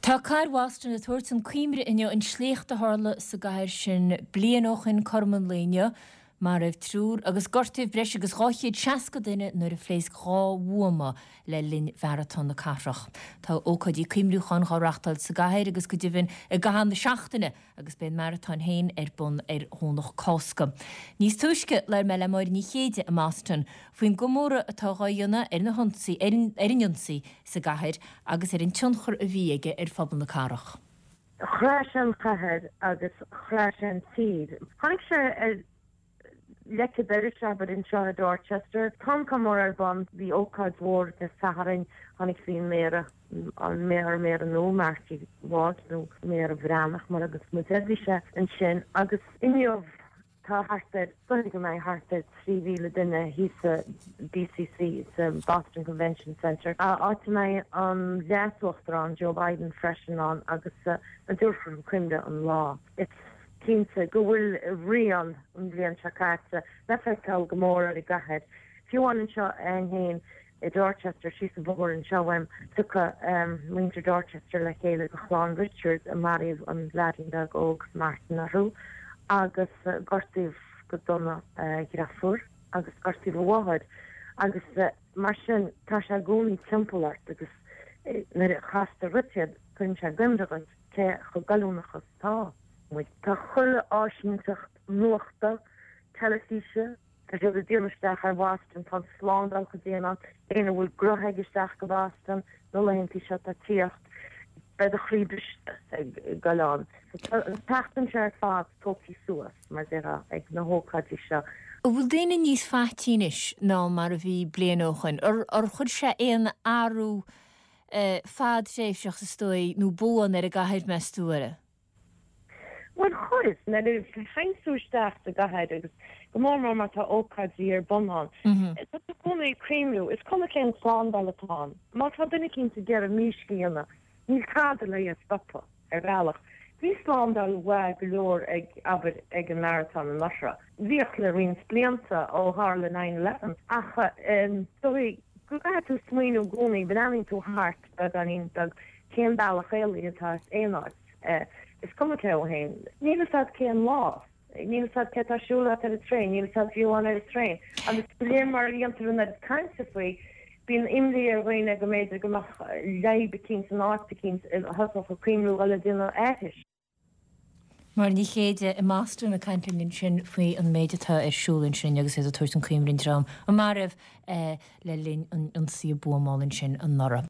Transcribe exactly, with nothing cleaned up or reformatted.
Tá cathair Bhoston ag tabhairt chun cuimhne inniu an sléacht a tharla sa gcathair sin bliain ó shin cothrom an lae inniu. Maraíodh triúr agus gortaíodh breis agus dhá chéad seasca duine nuair a phléasc dhá bhuama le linn mharatón na cathrach. Tá ócáidí cuimhniúcháin á reáchtáil sa gcathair agus go deimhin i gcaitheamh na seachtaine agus beidh an maratón féin ar bun ar Dhomhnach Cásca. Níos túisce, labhair mé le Máire Ní Chéide i mBoston faoin gcomóradh atá á dhéanamh ar na hionsaí ar an ionsaí sa gcathair agus ar an tionchar a bhí aige ar phobal na cathrach. Chraith sé an chathair agus chraith sé an tír. Tháinig sé ar leic an dorais, abair, anseo i Dorchester. Tá an comóradh ar bun. Bhí ócáid mhór Dé Sathairn. Tháinig bhí an Méara, an Méara Méara nua, Marty Walsh, nó Méara Bhreathnach mar a thugas muid air, bhí sé ansin agus inniu tá thart ar, dóigh go mbeidh thart ar trí mhíle duine thíos sa B C C, sa Boston Convention Center, áit a mbeidh an Leas-Uachtarán Joe Biden freisin ann agus a dtabharfar chun cuimhne an lá. Is cinnte go bhfuil rian an bhliain seo caite le feiceáil go mór ar an gcathair. Fiú amháin anseo féin i Dorchester, síos an bóthar anseo uaim, tiocfaidh muintir Dorchester le chéile do chlann Richards a maraíodh an leaidín beag óg Martin orthu agus gortaíodh go dona a dheirfiúr agus gortaíodh a mháthair agus mar sin tá sé i gcónaí timpeall ort agus nuair a chastar dhuit iad cuireann sé i gcuimhne dhuit cé chomh goilliúnach is atá muid. Tá chuile áisínteacht nuachta, teilifíse, tá siad ag déanamh isteach ar Bhoston, tá an slándáil chomh dian ann, éinne a bhfuil gnoithe ag isteach go Boston na laethanta seo atá ag tíocht, beidh do chroí briste ag goil ann. So tá an tseachtain seo ar fad tógtha suas, mar déarfá, ag na hócáidí seo. An bhfuil daoine níos faití anois ná mar a bhí bliain ó shoin? Ar chuir sé aon athrú fadtréimhseach is dóigh nó buan ar an gcathair, meas tú, ar? Bhuel chuir, nuair a théann tú isteach sa gcathair agus go mór mór má tá ócáidí ar bun ann, tá tú i gcónaí ag cuimhniú, is cuma cén slándáil atá ann, má tá duine eicínt ag iarraidh mísc a dhéanamh, níl tada le é a stopadh, ar bhealach. Bhí slándáil mhaith go leor ag, abair, ag an maratón anuraidh. Bhíodh le roinnt blianta ó tharla nine eleven, ach is dóigh go gcaithfidh tú smaoineamh i gcónaí, breathnaíonn tú thart beagáinín beag, cén bealach éalaithe atá as aon áit. Is cuma cé thú féin. Níl a fhios agat cén lá. Níl a fhios agat cé atá ag siúl leat ar an traein. Níl a fhios agat fiú amháin ar an traein. Agus de réir mar a dhéantar an oiread cainte faoi, bíonn imní ar dhaoine go mb'fhéidir go mbeadh leadhb eicínt in áit eicínt a thosódh ag cuimhniú dhul ag déanamh aithris. Máire Ní Chéide i mBoston ag caint linn ansin faoi an méid atá ar siúl ansin agus iad ag tabhairt chun cuimhne an dream a maraíodh le linn an ionsaí buamála ansin anuraidh.